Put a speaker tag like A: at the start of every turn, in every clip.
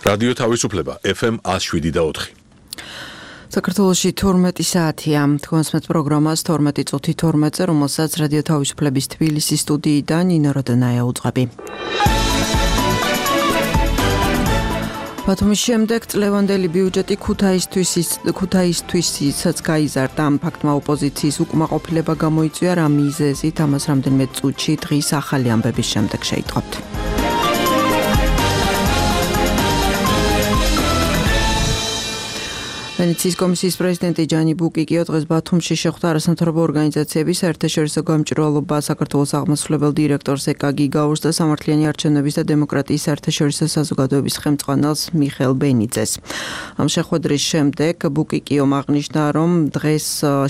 A: რადიო თავისუფლება FM 107.4.
B: საქართველოში 12 საათია. თქვენსმეთ პროგრამას 12 წუთი 12-ზე, რომელსაც რადიო თავისუფლების თბილისის სტუდიიდან ნინო როდონაია უძღვები. ბათუმის შემდეგ წლევანდელი ბიუჯეტი ქუთაისთვისაც გაიზარდა. ამ ფაქტმა ოპოზიციის უკმაყოფილება გამოიწვია, რა მიზეზით ამას რამდენიმე წუთში დღის ახალი ამბების შემდეგ შეიტყობთ. ვენეციის კომისიის პრეზიდენტი ჯანი ბუკიკიო დღეს ბათუმში შეხვდა არასამთავრობო ორგანიზაციების საერთაშორისო გამჭვირვალობა საქართველოს აღმასრულებელ დირექტორს ეკა გიგაურს და სამართლიანი არჩევნების და დემოკრატიის საერთაშორისო საზოგადოების ხელმძღვანელს მიხეილ ბენიძეს. ამ შეხვედრის შემდეგ ბუკიკიომ აღნიშნა, რომ დღეს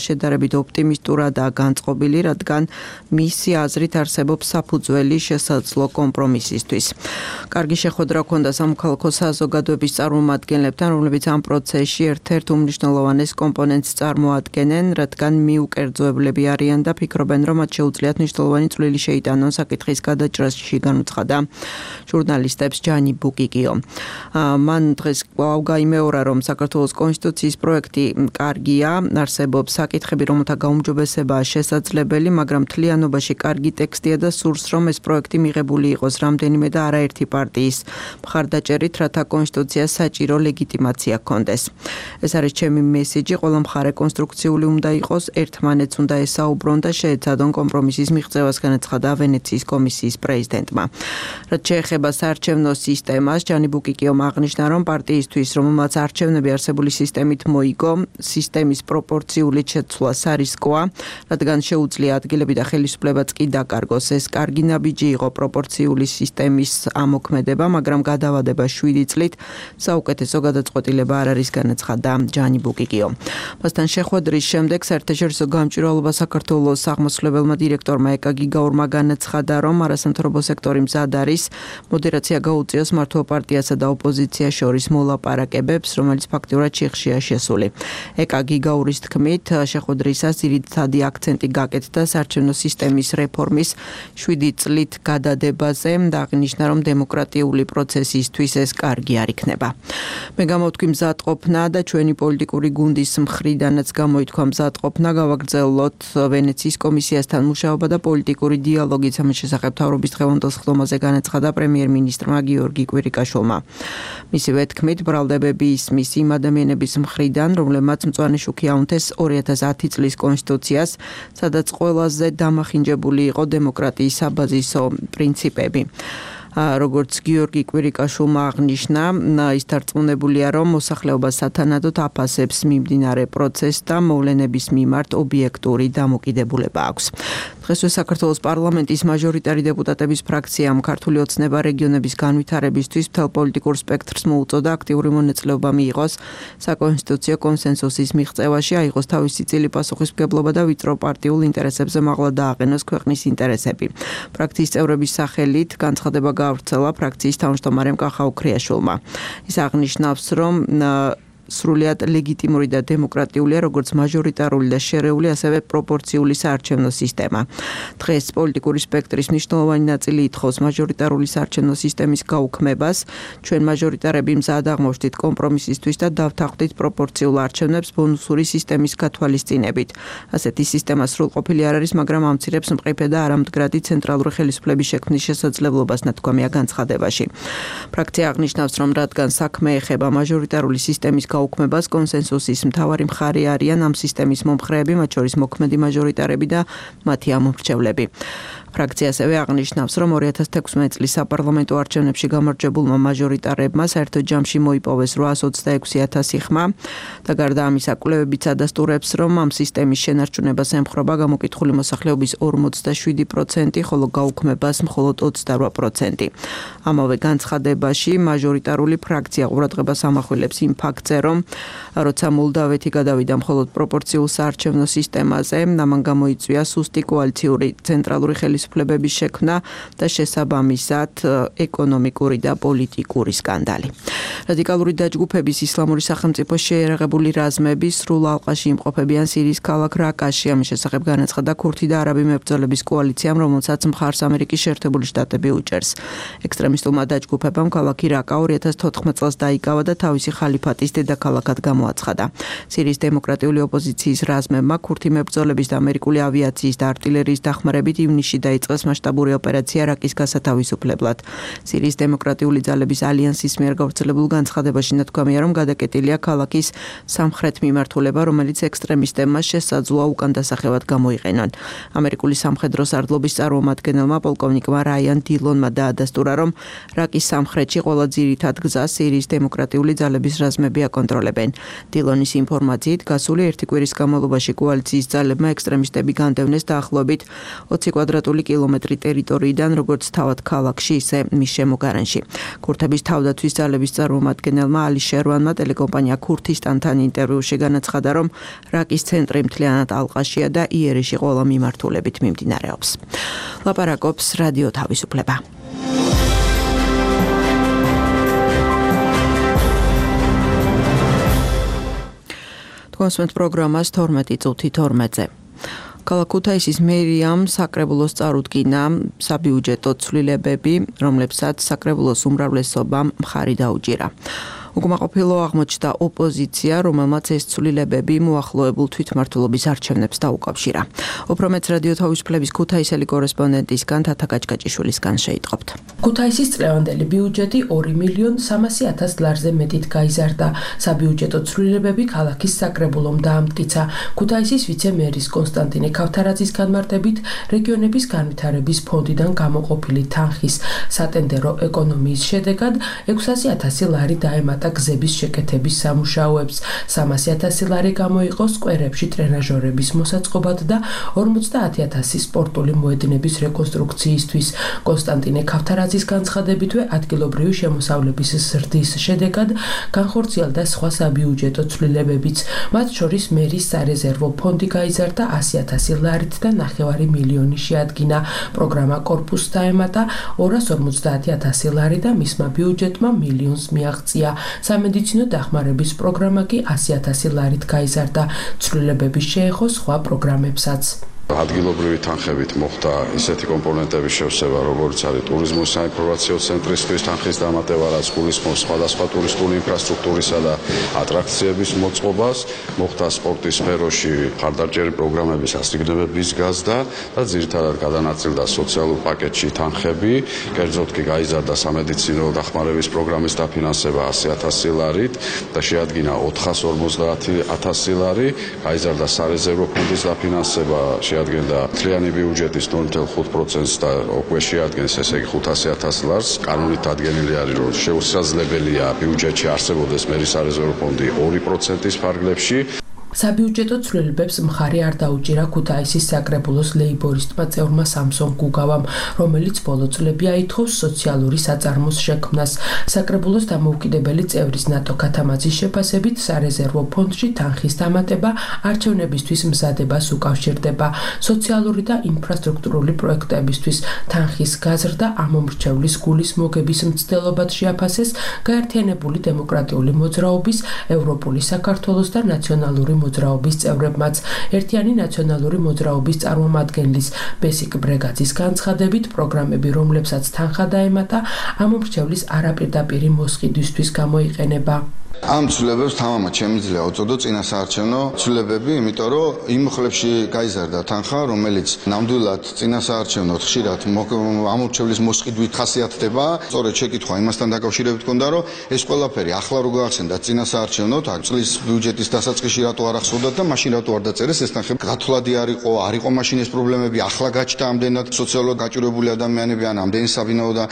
B: შედარებით ოპტიმისტურადაა განწყობილი, რადგან მისი აზრით არსებობს საფუძველი შესაძლო კომპრომისისთვის. კარგი შეხვედრა ჰქონდა სამოქალაქო საზოგადოების წარმომადგენლებთან, რომლებიც ამ პროცესში ერთ-ერთ უმნიშვნელოვანეს კომპონენტს წარმოადგენენ, რადგან მიუკერძოებლები არიან და ფიქრობენ, რომ მათ შეუძლიათ მნიშვნელოვანი წვლილი შეიტანონ საკითხის გადაჭრაში, განუცხადა ჟურნალისტებს ჯანი ბუკიკიო. მან დღეს გაიმეორა, რომ საქართველოს კონსტიტუციის პროექტი კარგია, არსებობს საკითხები, რომელთა გაუმჯობესებაა შესაძლებელი, მაგრამ მთლიანობაში კარგი ტექსტია და სურს, რომ ეს პროექტი მიღებული იყოს რამდენიმე და არაერთი პარტიის მხარდაჭერით, რათა კონსტიტუციას საჭირო ლეგიტიმაცია ჰქონდეს. ეს არის ჩემი მესიჯი, ყველა მხარე კონსტრუქციული უნდა იყოს, ერთმანეთს უნდა ესაუბრონ და შეეცადონ კომპრომისის მიღწევას, განაცხადა ვენეციის კომისიის პრეზიდენტმა. რაც შეეხება საარჩევნო სისტემას, ჯანი ბუკიკიომ აღნიშნა, რომ პარტიისთვის, რომელმაც არჩევნები არსებული სისტემით მოიგო, სისტემის პროპორციული შეცვლა სარისკოა, რადგან შეუძლია ადგილები და ხელისუფლებაც კი დაკარგოს. ეს კარგი ნაბიჯი იყო პროპორციული სისტემის ამოქმედება, მაგრამ გადავადება 7 წლით საუკეთესო გადაწყვეტილება არ არის, განაცხადა ჯანი ბუკიკიო. მასთან შეხვედრის შემდეგ საერთაშორისო გამჭვირვალობა საქართველოს აღმასრულებელმა დირექტორმა ეკა გიგაურმა განაცხადა, რომ არასამთავრობო სექტორი მზად არის მოდერაცია გაუწიოს მართლ პარტიასა და ოპოზიციას შორის მოლაპარაკებებს, რომელიც ფაქტიურად შიხშია შესული. ეკა გიგაურის თქმით, შეხვედრისას ძირითადი აქცენტი გაკეთდა საარჩევნო სისტემის რეფორმის 7 წლით გადადებაზე და აღნიშნა, რომ დემოკრატიული პროცესისთვის ეს კარგი არ იქნება. მე გამოვთქვი მზადყოფნა და ჩვენი პოლიტიკური გუნდის მხრიდანაც გამოითქვა მზადყოფნა, გავაგრძელოთ ვენეციის კომისიასთან მუშაობა და პოლიტიკური დიალოგი ამის შესახებ მთავრობის დღევანდელ სხდომაზე განაცხადა პრემიერ-მინისტრმა გიორგი კვირიკაშვილმა. მისივე თქმით, ბრალდებები ისმის იმ ადამიანების მხრიდან, რომლებმაც მწვანე შუქი აუნთეს 2010 წლის კონსტიტუციას, სადაც ყველაზე დამახინჯებული იყო დემოკრატიის საბაზისო პრინციპები. როგორც გიორგი კვირიკაშვილმა აღნიშნა, ის დარწმუნებულია, რომ მოსახლეობა სათანადოდ აფასებს მიმდინარე პროცესს და მოვლენების მიმართ ობიექტური დამოკიდებულება აქვს. დღესვე საქართველოს პარლამენტის მაჟორიტარი დეპუტატების ფრაქციამ ქართული ოცნება რეგიონების განვითარებისთვის მთელ პოლიტიკურ სპექტრს მოუწოდა აქტიური მონაწილეობა მიიღოს საკონსტიტუციო კონსენსუსის მიღწევაში, აიღოს თავისი წილი პასუხისმგებლობა და ვიწრო პარტიულ ინტერესებზე მაღლა დააყენოს ქვეყნის ინტერესები. ფრაქციის წევრების სახელით განცხადება გავრცელა ფრაქციის თავმჯდომარემ კახა უქრიაშვილმა. ის აღნიშნავს, რომ სრულიად ლეგიტიმური და დემოკრატიულია როგორც მაჟორიტარული და შერეული, ასევე პროპორციული საარჩევნო სისტემა. დღეს პოლიტიკური სპექტრის მნიშვნელოვანი ნაწილი ითხოვს მაჟორიტარული საარჩევნო სისტემის გაუქმებას. ჩვენ მაჟორიტარები მზად აღმოჩნდით კომპრომისისთვის და დავთანხმდით პროპორციულ არჩევნებს ბონუსური სისტემის გათვალისწინებით. ასეთი სისტემა სრულყოფილი არ არის, მაგრამ ამცირებს მყიფე და არამდგრადი ცენტრალური ხელისუფლების შექმნის შესაძლებლობას, ნათქვამია განცხადებაში. ფრაქცია აღნიშნავს, რომ რადგან საქმე ეხება მაჟორიტარული სისტემის გაუქმებას, კონსენსუსის მთავარი მხარე არიან ამ სისტემის მომხრეები, მათ შორის მოქმედი მაჟორიტარები და მათი ამომრჩევლები. ფრაქცია ასევე აღნიშნავს, რომ 2016 წლის საპარლამენტო არჩევნებში გამარჯვებულმა მაჟორიტარებმა საერთო ჯამში მოიპოვეს 826,000 ხმა და გარდა ამისა კვლევებიც ადასტურებს, რომ ამ სისტემის შენარჩუნებას ემხრობა გამოკითხული მოსახლეობის 47%, ხოლო გაუქმებას მხოლოდ 28%. ამავე განცხადებაში მაჟორიტარული ფრაქცია ყურადღებას ამახვილებს იმ ფაქტზე, რომ როცა მოლდავეთი გადავიდა მხოლოდ პროპორციულ საარჩევნო სისტემაზე, ამან გამოიწვია სუსტი კოალიციური ცენტრალური ხელისუფლების თავისუფლებების შექმნა და შესაბამისად ეკონომიკური და პოლიტიკური სკანდალი. რადიკალური დაჯგუფების ისლამური სახელმწიფო შეერაღებული რაზმები სრულ ალყაში იმყოფებიან სირიის ქალაქ რაკაში. ამის შესახებ განაცხადა ქურთი და არაბი მებრძოლების კოალიციამ, რომელსაც მხარს ამერიკის შეერთებული შტატები უჭერს. ექსტრემისტულმა დაჯგუფებამ ქალაქი რაკა 2014 წელს დაიკავა და თავისი ხალიფატის დედაქალაქად გამოაცხადა. სირიის დემოკრატიული ოპოზიციის რაზმებმა ქურთი მებრძოლების და ამერიკული ავიაციის და артილერიის დახმარებით ივნისში დაიწყეს მასშტაბური ოპერაცია რაკის გასათავისუფლებლად. სირიის დემოკრატიული ძალების ალიანსის მიერ გავრცელებულ განცხადებაში ნათქვამია, რომ გადაკეტილია ქალაქის სამხრეთ მიმართულება, რომელიც ექსტრემისტებმა შესაძლოა უკან დასახევად გამოიყენონ. ამერიკული სამხედრო სარდლობის წარმომადგენელმა პოლკოვნიკმა რაიან დილონმა დაადასტურა, რომ რაკის სამხრეთში ყველა ძირითად გზას სირიის დემოკრატიული ძალების რაზმები აკონტროლებენ. დილონის ინფორმაციით, გასული ერთი კვირის განმავლობაში კოალიციის ძალებმა ექსტრემისტები განდევნეს დაახლოებით 20 კვადრატული კილომეტრი ტერიტორიიდან, როგორც თავად ქალაქში, ისე მის შემოგარენში. ქურთების თავდაცვის ძალების წარმომადგენელმა ალი შერვანმა ტელეკომპანია ქურთისტანთან ინტერვიუში განაცხადა, რომ რაკის ცენტრი მთლიანად ალყაშია და იერიში ყველა მიმართულებით მიმდინარეობს. ლაპარაკობს რადიო თავისუფლება. კონსვენტ პროგრამას 12:12-ზე. ქალაქ ქუთაისის მერიამ საკრებულოს წარუდგინა საბიუჯეტო ცვლილებები, რომლებსაც საკრებულოს უმრავლესობამ მხარი დაუჭირა. უკმაყოფილო აღმოჩნდა ოპოზიცია, რომელმაც ეს ცვლილებები მოახლოებულ თვითმმართველობის არჩევნებს დაუკავშირა. უფრო მეც რადიო თავისუფლების ქუთაისელი კორესპონდენტისგან თათა გაჭკაჭიშვილისგან შეიტყობთ.
C: ქუთაისის წლევანდელი ბიუჯეტი 2.300.000 ლარზე მეტით გაიზარდა. საბიუჯეტო ცვლილებები ქალაქის საკრებულომ დაამტკიცა. ქუთაისის ვიცე-მერის კონსტანტინე ქავთარაძის განმარტებით, რეგიონების განვითარების ფონდიდან გამოყოფილი თანხის სატენდერო ეკონომიის შედეგად 600.000 ლარი დაემატა გზების შეკეთების სამუშაოებს. 300.000 ლარი გამოიყო სკვერებში ტრენაჟორების მოსაწყობად და 50.000 სპორტული მოედნების რეკონსტრუქციისთვის. კონსტანტინე ქავთარაძის განცხადებითვე ადგილობრივი შემოსავლების ზრდის შედეგად განხორციელდა სხვა საბიუჯეტო ცვლილებებიც. მათ შორის მერის სარეზერვო ფონდი გაიზარდა 100.000 ლარით და 9 მილიონი შეადგინა. პროგრამა კორპუსს დაემატა 250.000 ლარი და მისმა ბიუჯეტმა მილიონს მიაღწია. სამედიცინო დახმარების პროგრამა კი 100.000 ლარით გაიზარდა. ცვლილებები შეეხო სხვა პროგრამებსაც.
D: ადგილობრივი თანხებით მოხდა ისეთი კომპონენტების შევსება, როგორც არის ტურიზმის საინფორმაციო ცენტრისთვის თანხის დამატება, რაც გულისხმობს სხვადასხვა ტურისტული ინფრასტრუქტურისა და ატრაქციების მოწყობას, მოხდა სპორტის სფეროში ხარდაჭერი პროგრამების ასიგნებების გაზრდა და ძირითადად გადანაწილდა სოციალურ პაკეტში თანხები, კერძოდ კი გაიზარდა სამედიცინო დახმარების პროგრამის დაფინანსება 100.000 ლარით და შეადგინა 450.000 ლარი, გაიზარდა სარეზერვო ფონდის დაფინანსება, შეადგენდა მთლიანი ბიუჯეტის 0.5% და უკვე შეადგენს ესე იგი 500.000 ლარს. კანონით დადგენილი არის, რომ შეუსაძლებელია ბიუჯეტში არსებობდეს მერის სარეზერვო ფონდი 2%-ის ფარგლებში.
C: საბიუჯეტო ცვლილებებს მხარი არ დაუჭირა ქუთაისის საკრებულოს ლეიბორისტმა წევრმა სამსონ გუგავამ, რომელიც ბოლო წლები აითხოვს სოციალური საწარმოს შექმნას. საკრებულოს დამოუკიდებელი წევრის ნატო ქათამაძის შეფასებით, სარეზერვო ფონდში თანხის დამატება არჩევნებისთვის მზადებას უკავშირდება. სოციალური და ინფრასტრუქტურული პროექტებისთვის თანხის გაზრდა ამომრჩევლის გულის მოგების მცდელობად შეაფასეს გაერთიანებული დემოკრატიული მოძრაობის, ევროპული საქართველოს და ნაციონალური მოძრაობის წევრებმაც. ერთიანი ნაციონალური მოძრაობის წარმომადგენლის ბესიკ ბრეგაძის განცხადებით, პროგრამები, რომლებსაც თანხა დაემატა, ამომრჩევლის არაპირდაპირი მოსყიდვისთვის გამოიყენება.
E: ამ ცვლილებებს თამამად შემიძლია უწოდო წინასაარჩევნო ცვლილებები, იმიტომ რომ იმ მხლებში გაიზარდა თანხა, რომელიც ნამდვილად წინასაარჩევნოდ ხშირად ამორჩევლის მოსყიდვით ხასიათდება. სწორედ შეკითხვა იმასთან დაკავშირებით ჰქონდა, რომ ეს ყველაფერი ახლა რო გაახსენდა წინასაარჩევნოდ, წლის ბიუჯეტის დასაწყისში რატო არ ახსოვდათ და მაშინ რატო არ დაწერეს ეს თანხები. გათვლადი არ იყო მაშინ ეს პრობლემები, ახლა გაჩნდა ამდენად სოციალურად გაჭირვებული ადამიანები, ან ამდენი საბინაო და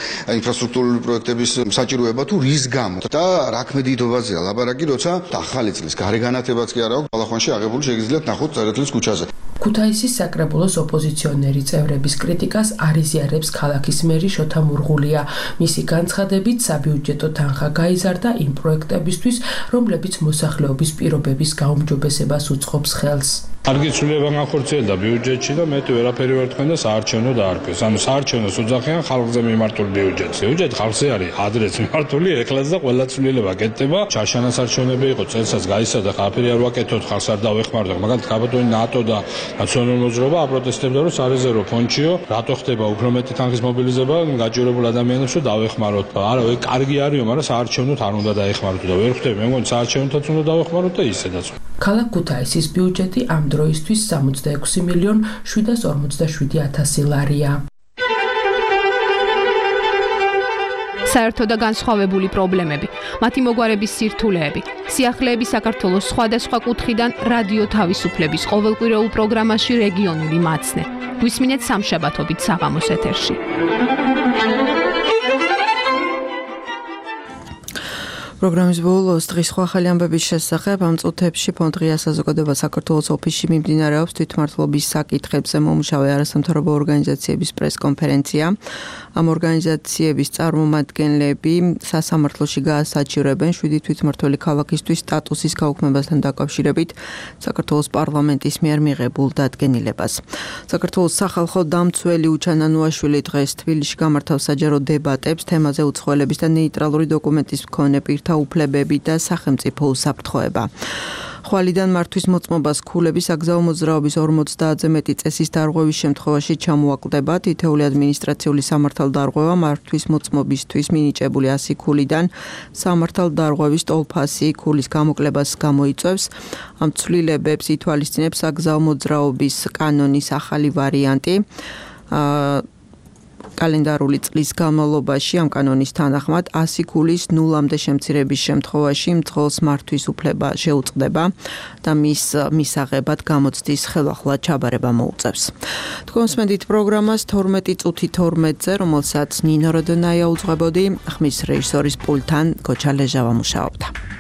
E: ინფრასტრუქტურული პროექტების საჭიროება თუ რის გამო და რა ქმედიდობაზე ლაპარაკი, როცა ახალი წლის გარეგანათებაც კი არა აქვს, ბალახვანში აღებული შეგიძლიათ ნახოთ წერეთლის ქუჩაზე.
C: ქუთაისის საკრებულოს ოპოზიციონერი წევრების კრიტიკას არ იზიარებს ქალაქის მერი შოთა მურღულია. მისი განცხადებით, საბიუჯეტო თანხა გაიზარდა იმ პროექტებისთვის, რომლებიც მოსახლეობის პირობების გაუმჯობესებას უწყობს ხელს.
F: კარგი ცვლილება განხორციელდა ბიუჯეტში და მეტი ვერაფერი ვერ თქვენ და საარჩევნო დაარქვეს. ანუ საარჩევნოს უძახიან ხალხზე მიმართული ბიუჯეტს. ბიუჯეტი ხალხზე არის ადრეც მიმართული, ეხლაც და ყველა ცვლილება კეთდება. ჩარშანას არჩევნები იყო, წელსაც გაიცადა, ხაფერი არ ვაკეთოთ, ხალხს არ დავეხმაროთ. მაგალითად, გაბატონი ნატო და ნაციონალური მოძრაობა აპროტესტებდა, რომ სარეზერვო ფონდშიო, რატო ხდება უფრო მეტი თანხის მობილიზება გაჭირებულ ადამიანებს, რომ დავეხმაროთ. არა, კარგი არისო, მაგრამ საარჩევნოთ არ უნდა დაეხმაროთ და ვერ ხვდები. მე მგონი საარჩევნოთაც უნდა დავეხმაროთ და ისედაც.
C: ქალაქ ქუთაისის ბიუჯეტი ამ დროისთვის 66.747.000 ლარია.
G: საერთო და განსხვავებული პრობლემები, მათი მოგვარების სირთულეები, სიახლეები საქართველოს სხვადასხვა კუთხიდან რადიო თავისუფლების ყოველკვირეულ პროგრამაში რეგიონული მაცნე. გვისმინეთ სამშაბათობით საღამოს ეთერში.
B: პროგრამის ბოლოს დღის სხვა ახალი ამბების შესახებ ამ წუთებში ფონდ ღია საზოგადოება საქართველოს ოფისში მიმდინარეობს თვითმმართველობის საკითხებზე მომუშავე არასამთავრობო ორგანიზაციების პრესკონფერენცია. ამ ორგანიზაციების წარმომადგენლები სასამართლოში გაასაჩივრებენ 7 თვითმმართველი ქალაქისთვის სტატუსის გაუქმებასთან დაკავშირებით საქართველოს პარლამენტის მიერ მიღებულ დადგენილებას. საქართველოს სახალხო დამცველი უჩან ანუაშვილი დღეს თბილისში გამართავს საჯარო დებატებს თემაზე უცხოელების და ნეიტრალური დოკუმენტის მქონე პირთა უფლებები და სახელმწიფო უსაფრთხოება. ხვალიდან მართვის მოწმობას ქულების საგზაო მოძრაობის 50-ზე მეტი წესის დარღვევის შემთხვევაში ჩამოაკლდება. თითეული ადმინისტრაციული სამართალდარღვევა მართვის მოწმობისთვის მინიჭებული 100 ქულიდან სამართალდარღვევის ტოლფასი ქულის გამოკლებას გამოიწვევს. ამ ცვლილებებს ითვალისწინებს საგზაო მოძრაობის კანონის ახალი ვარიანტი. კალენდარული წლის განმავლობაში ამ კანონის თანახმად 100 ქულის ნულამდე შემცირების შემთხვევაში მძღოლს მართვის უფლება შეუწყდება და მის მისაღებად გამოცდის ხელახლა ჩაბარება მოუწევს. თქვენ მსმენთ პროგრამას 12 წუთი 12-ზე, რომელსაც ნინო როდონაია უძღვებოდი, ხმის რეჟისორის პულტთან გოჩა ლეჟავა მუშაობდა.